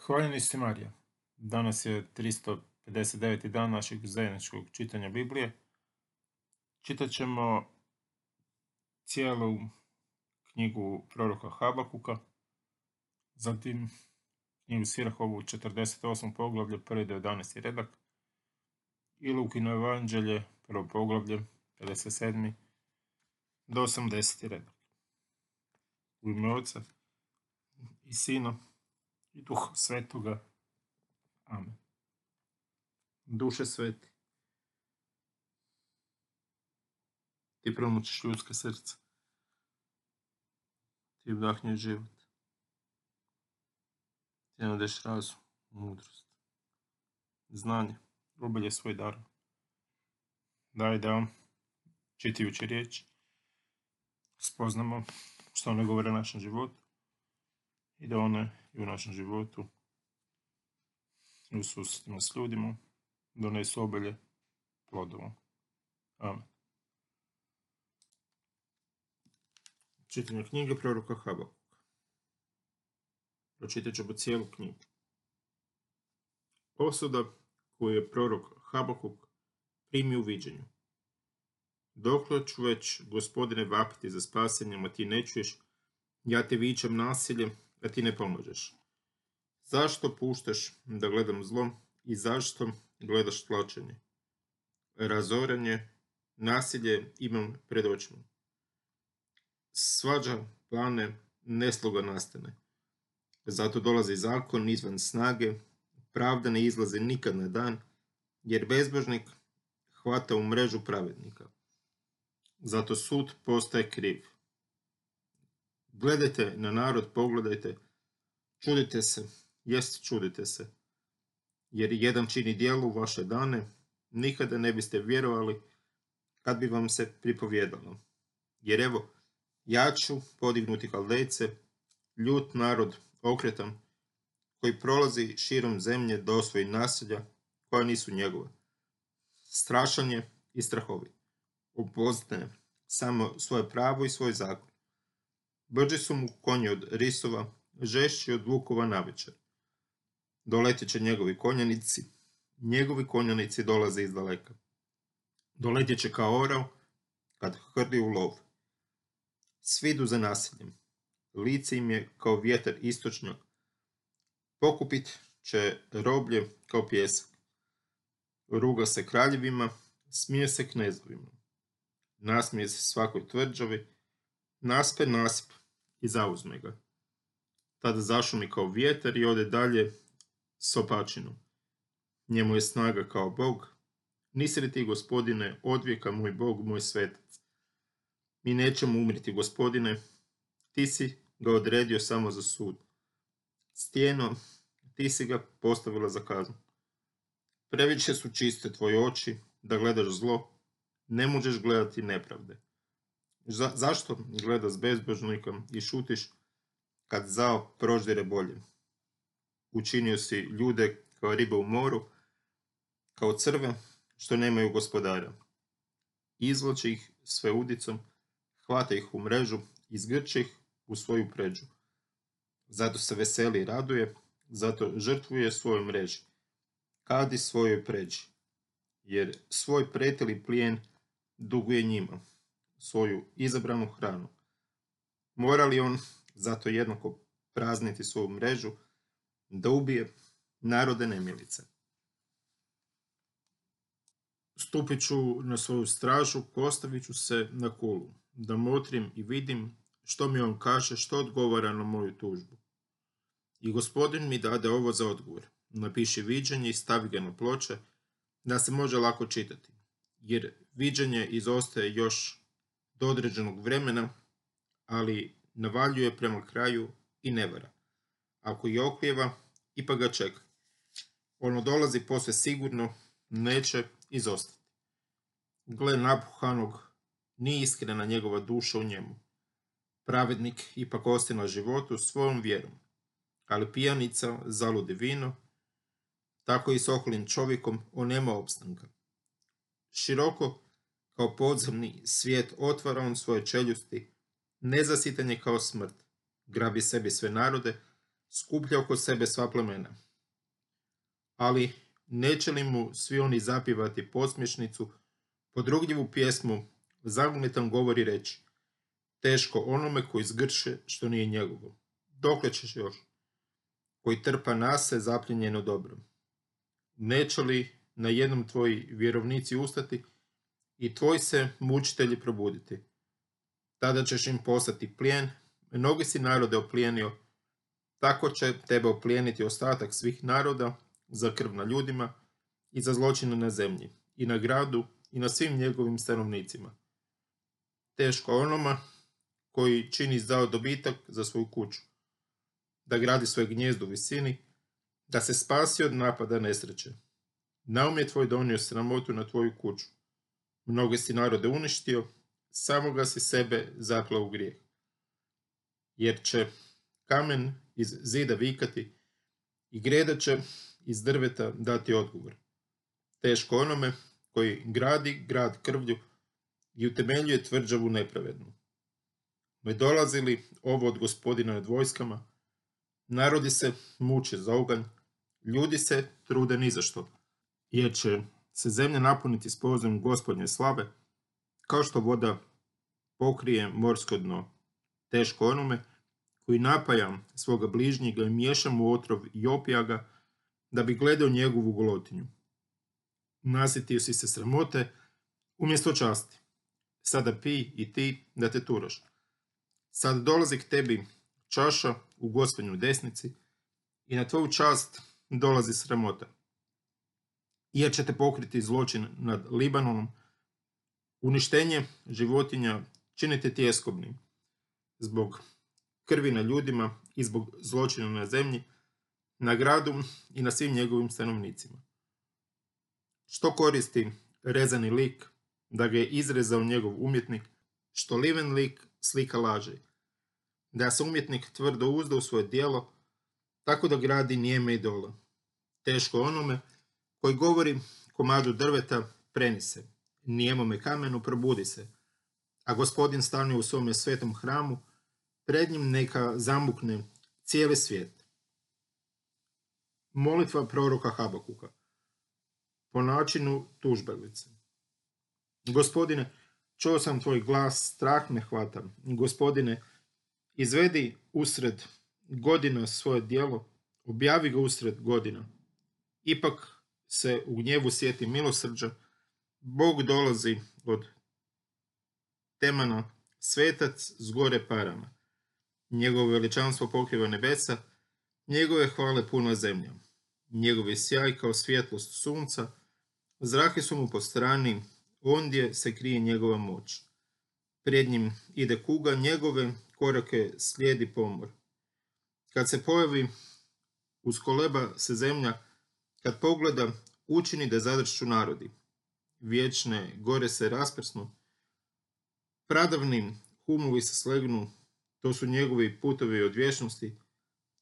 Hvaljeni ste Marija. Danas je 359. dan našeg zajedničkog čitanja Biblije. Čitat ćemo cijelu knjigu proroka Habakuka, zatim knjigu Sirahovu 48. poglavlje, 1. do 11. redak i Lukino evanđelje, prvo poglavlje, 57. do 80. redak. U ime Oca i Sina i Duha Svetoga. Amen. Duše sveti, ti promučiš ljudska srca, ti vdahnješ život, ti nadeš razum, mudrost, znanje, obilje svoj dar. Daj da, čitajući riječ, spoznamo što one govore o našem životu i da one i u našem životu i u susretima s ljudima donesu obilje plodova. Amen. Čitanje knjige proroka Habakuka. Pročitat ćemo cijelu knjigu. Osuda koju je prorok Habakuk primio u viđenju. Dokle ću već, Gospodine, vapiti za spasenjem, a ti ne čuješ? Ja te vičem nasilje, a ti ne pomožeš. Zašto puštaš da gledam zlo i zašto gledaš tlačenje? Razoranje, nasilje imam pred očima. Svađa plane, nesloga nastane. Zato dolazi zakon izvan snage, pravda ne izlazi nikad na dan, jer bezbožnik hvata u mrežu pravednika. Zato sud postaje kriv. Gledajte na narod, pogledajte, čudite se, čudite se, jer jedan čini djelo u vaše dane, nikada ne biste vjerovali kad bi vam se pripovjedalo. Jer evo, ja ću podignuti Kaldejce, ljut narod okretan, koji prolazi širom zemlje do osvoji naselja koja nisu njegova. Strašan je i strahovit. Upoznaje samo svoje pravo i svoj zakon. Brži su mu konji od risova, žešći od vukova navečer. Doletit će njegovi konjanici dolaze iz daleka. Doletit će kao orao kad hrli u lov. Svi idu za nasiljem. Lice im je kao vjetar istočnjak. Pokupit će roblje kao pjesak. Ruga se kraljevima, smije se knezovima. Nasmije se svakoj tvrđavi, naspe nasip i zauzme ga. Tada zašumi kao vjetar i ode dalje s opačinom. Njemu je snaga kao Bog. Nisi li ti, Gospodine, odvijeka moj Bog, moj svetac? Mi nećemo umriti, Gospodine, ti si ga odredio samo za sud. Stijeno, ti si ga postavila za kaznu. Previše su čiste tvoje oči da gledaš zlo, ne možeš gledati nepravde. Zašto gledaš bezbožnikom i šutiš kad zao proždire bolje? Učinio si ljude kao ribe u moru, kao crve što nemaju gospodara. Izvlači ih sve udicom, hvata ih u mrežu, izgrče ih u svoju pređu. Zato se veseli i raduje, zato žrtvuje svojoj mreži, kadi svojoj pređi, jer svoj pretili plijen duguje njima, svoju izabranu hranu. Mora li on zato jednako prazniti svoju mrežu, da ubije narode nemilice? Stupit ću na svoju stražu, postavit ću se na kulu, da motrim i vidim što mi on kaže, što odgovara na moju tužbu. I Gospodin mi dade ovo za odgovor. Napiši viđenje i stavi ga na ploče, da se može lako čitati, jer viđenje izostaje još do određenog vremena, ali navaljuje prema kraju i ne vara. Ako i oklijeva, ipak ga čeka. Ono dolazi posve sigurno, neće izostati. Gle napuhanog, nije iskrena njegova duša u njemu. Pravednik ipak ostaje na životu svojom vjerom, ali pijanica zaludi vino, tako i s oholim čovjekom on nema opstanka. Široko kao podzemni svijet otvara on svoje čeljusti, nezasitan je kao smrt, grabi sebi sve narode, skuplja oko sebe sva plemena. Ali neće li mu svi oni zapivati posmješnicu, podrugljivu pjesmu, zagunitan govor i reći: teško onome koji zgrše što nije njegovo. Dokle ćeš još? Koji trpa nase zapljenjeno dobro. Neće li na jednom tvoji vjerovnici ustati i tvoji se mučitelji probuditi? Tada ćeš im poslati plijen, mnogi si narode oplijenio, tako će tebe oplijeniti ostatak svih naroda za krv na ljudima i za zločine na zemlji, i na gradu, i na svim njegovim stanovnicima. Teško onoma koji čini zao dobitak za svoju kuću, da gradi svoje gnijezdo u visini, da se spasi od napada nesreće. Naum je tvoj donio sramotu na tvoju kuću. Mnoge si narode uništio, samoga si sebe zaklao u grijeh. Jer će kamen iz zida vikati i greda će iz drveta dati odgovor. Teško onome koji gradi grad krvlju i utemeljuje tvrđavu nepravednu. Ne dolazi li ovo od Gospodina nad vojskama? Narodi se muče za oganj, ljudi se trude ni za što, jer će se zemlja napuniti s pozom Gospodnje slave, kao što voda pokrije morsko dno. Teško onome koji napaja svoga bližnjega i miješa mu otrov i opija ga, da bi gledao njegovu golotinju. Nasjetio si se sramote umjesto časti. Sada pij i ti da te turaš. Sad dolazi k tebi čaša u Gospodnjoj desnici i na tvoju čast dolazi sramota. Jer će te pokriti zločin nad Libanonom, uništenje životinja činite tjeskobnim, zbog krvi na ljudima i zbog zločina na zemlji, na gradu i na svim njegovim stanovnicima. Što koristi rezani lik, da ga je izrezao njegov umjetnik, što liven lik slika laži, da se umjetnik tvrdo uzda u svoje djelo, tako da gradi nijeme idole. Teško onome koji govori komadu drveta preni se, nijemome kamenu probudi se, a Gospodin stanuje u svome svetom hramu, pred njim neka zamukne cijeli svijet. Molitva proroka Habakuka po načinu tužbenice. Gospodine, čuo sam tvoj glas, strah me hvata. Gospodine, izvedi usred godina svoje djelo, objavi ga usred godina. Ipak se u gnjevu sjeti milosrđa, Bog dolazi od Temana, svetac s gore parama. Njegovo veličanstvo pokriva nebesa, njegove hvale puna zemlja. Njegov je sjaj kao svjetlost sunca, zrake su mu po strani, ondje se krije njegova moć. Pred njim ide kuga, njegove korake slijedi pomor. Kad se pojavi, uskoleba se zemlja, kad pogleda, učini da zadršću narodi. Vječne gore se rasprsnu, pradavni humovi se slegnu, to su njegovi putovi od vječnosti.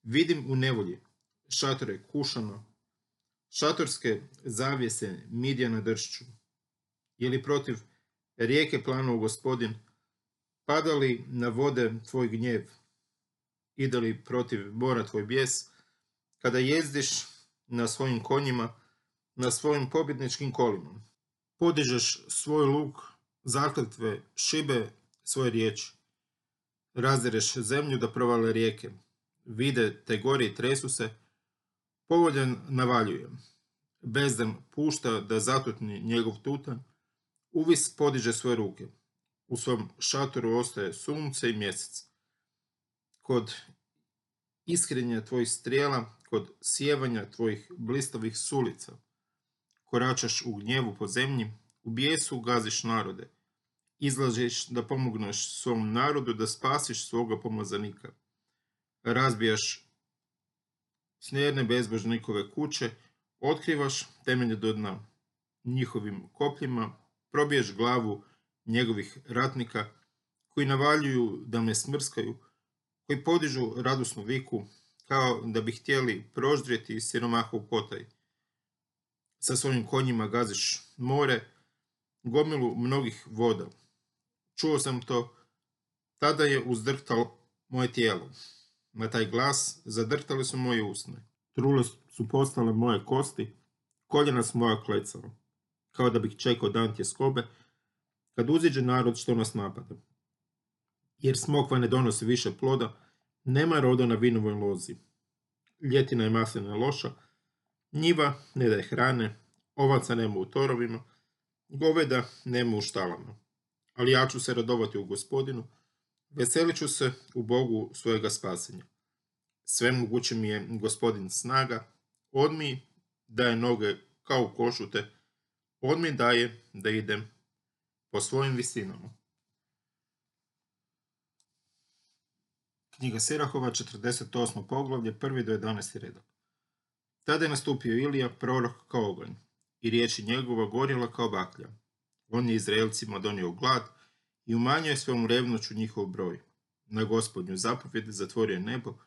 Vidim u nevolji šatore Kušana, šatorske zavjese Midjana dršću. Je li protiv rijeke planuo Gospodin, pada li na vode tvoj gnjev, ide li protiv bora tvoj bijes, kada jezdiš na svojim konjima, na svojim pobjedničkim kolima. Podižeš svoj luk, zakletve, šibe svoje riječi. Razdereš zemlju da provale rijeke. Vide te gori i tresu se, povoljan navaljuje. Bezdan pušta da zatutni njegov tutan, uvis podiže svoje ruke. U svom šatoru ostaje sunce i mjesec. Kod iskrenja tvojih strijela, kod sjevanja tvojih blistavih sulica, koračaš u gnjevu po zemlji, u bijesu gaziš narode, izlažeš da pomogneš svom narodu, da spasiš svoga pomazanika. Razbijaš snjerne bezbožnikove kuće, otkrivaš temelje do dna. Njihovim kopljima probiješ glavu njegovih ratnika, koji navaljuju da me smrskaju, koji podižu radosnu viku, kao da bi htjeli proždrijeti siromahov potaj. Sa svojim konjima gaziš more, gomilu mnogih voda. Čuo sam to, tada je uzdrhtalo moje tijelo. Na taj glas zadrtali su moje usne. Trule su postale moje kosti, koljena su moja klecala, kao da bih čekao dan tjeskobe, kad uziđe narod što nas napada. Jer smokva ne donosi više ploda, nema roda na vinovoj lozi. Ljetina je maslina loša, njiva ne daje hrane, ovaca nema u torovima, goveda nema u štalama. Ali ja ću se radovati u Gospodinu, veselit ću se u Bogu svojega spasenja. Sve moguće mi je Gospodin snaga, on mi daje noge kao u košute, on mi daje da idem po svojim visinama. Knjiga Sirahova, 48. poglavlje, 1. do 11. redak. Tada je nastupio Ilija, prorok kao oganj, i riječi njegova gorjela kao baklja. On je Izraelcima donio glad i umanjio je svojom revnoću njihov broj. Na Gospodnju zapovjed zatvorio je nebo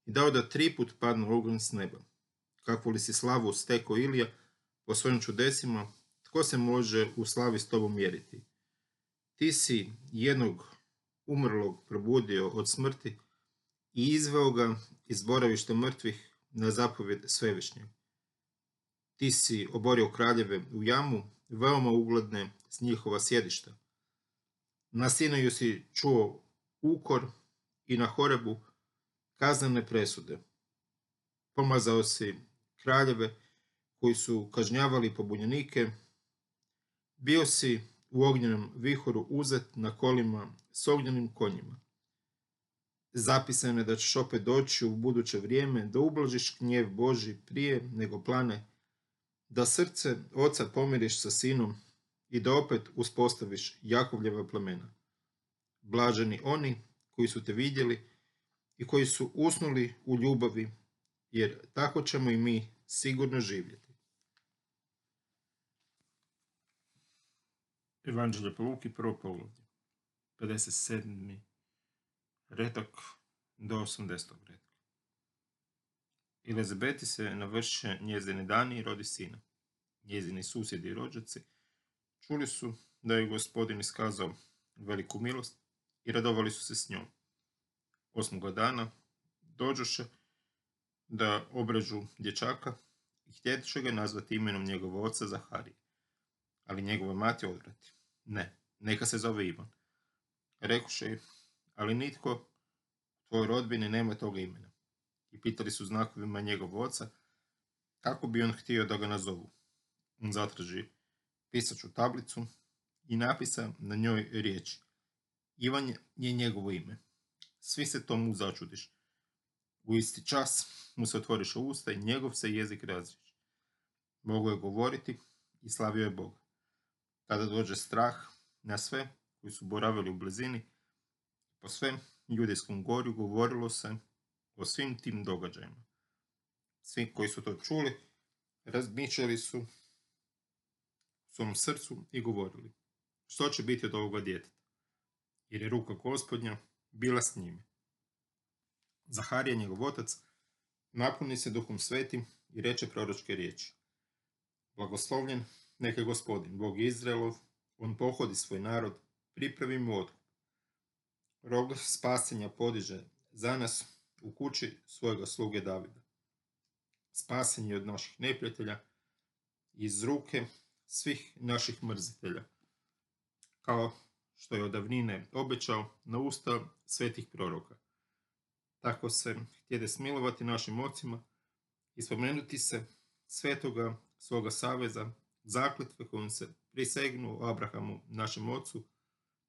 i dao da 3 put padnu oganj s neba. Kakvu li si slavu stekao Ilija po svojim čudesima, tko se može u slavi s tobom mjeriti? Ti si jednog umrlog probudio od smrti i izveo ga iz boravišta mrtvih na zapovjed Svevišnjeg. Ti si oborio kraljeve u jamu, veoma ugledne s njihova sjedišta. Na Sinaju si čuo ukor i na Horebu kaznene presude. Pomazao si kraljeve koji su kažnjavali pobunjenike. Bio si u ognjenom vihoru uzet na kolima s ognjenim konjima. Zapisano je da ćeš opet doći u buduće vrijeme, da ublažiš gnjev Božji prije nego plane, da srce oca pomiriš sa sinom i da opet uspostaviš Jakovljeva plemena. Blaženi oni koji su te vidjeli i koji su usnuli u ljubavi, jer tako ćemo i mi sigurno živjeti. Evanđelje po Luki, 1. poglavlje, 57. redak do 80. redka. Elizabeti se navrše njezini dani i rodi sina. Njezini susjedi i rođaci čuli su da je Gospodin iskazao veliku milost i radovali su se s njom. 8. dana dođoše da obrežu dječaka i htjedoše ga nazvati imenom njegova oca Zaharije. Ali njegova mati odvrati: ne, neka se zove Ivan. Rekoše: ali nitko u tvojoj rodbini nema toga imena. I pitali su znakovima njegov oca kako bi on htio da ga nazovu. On zatraži pisaću tablicu i napisa na njoj riječi: Ivan je njegovo ime. Svi se tomu začudiš. U isti čas mu se otvoriše usta i njegov se jezik razriješi. Mogao je govoriti i slavio je Boga. Tada dođe strah na sve koji su boravili u blizini. Po svem Judejskom gorju govorilo se o svim tim događajima. Svi koji su to čuli razmišljali su u svom srcu i govorili: što će biti od ovoga djeteta? Jer je ruka Gospodnja bila s njime. Zaharija, njegov otac, napuni se Duhom Svetim i reče proročke riječi: blagoslovljen neka Gospodin, Bog Izraelov, on pohodi svoj narod, pripravi mu otkup. Rog spasenja podiže za nas u kući svojega sluge Davida. Spasen je od naših neprijatelja, iz ruke svih naših mrzitelja, kao što je od davnine obećao na usta svetih proroka. Tako se htjede smilovati našim ocima i spomenuti se svetoga svoga saveza, zakletve kojom se prisegnu Abrahamu, našem ocu,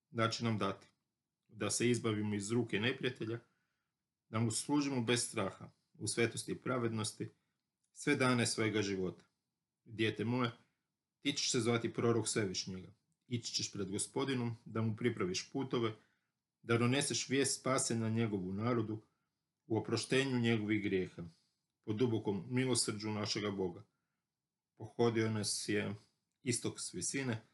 da će nam dati, da se izbavimo iz ruke neprijatelja, da mu služimo bez straha, u svetosti i pravednosti, sve dane svojega života. Dijete moje, ti ćeš se zvati prorok Svevišnjega. Ići ćeš pred Gospodinom, da mu pripraviš putove, da doneseš vijest spasenja njegovu narodu, u oproštenju njegovih grijeha, po dubokom milosrđu našega Boga. Pohodio nas je istok s visine,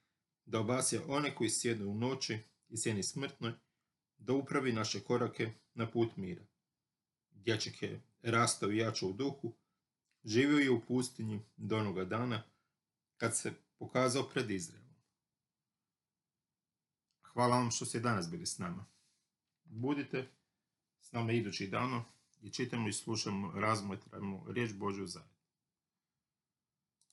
da obasja one koji sjednu u noći i sjeni smrtnoj, da upravi naše korake na put mira. Dječak je rastao i jačao u duhu, živio je u pustinji do onoga dana kad se pokazao pred Izraelom. Hvala vam što ste danas bili s nama. Budite s nama idućih dana i čitamo i slušamo, razmatramo riječ Božju zajedno.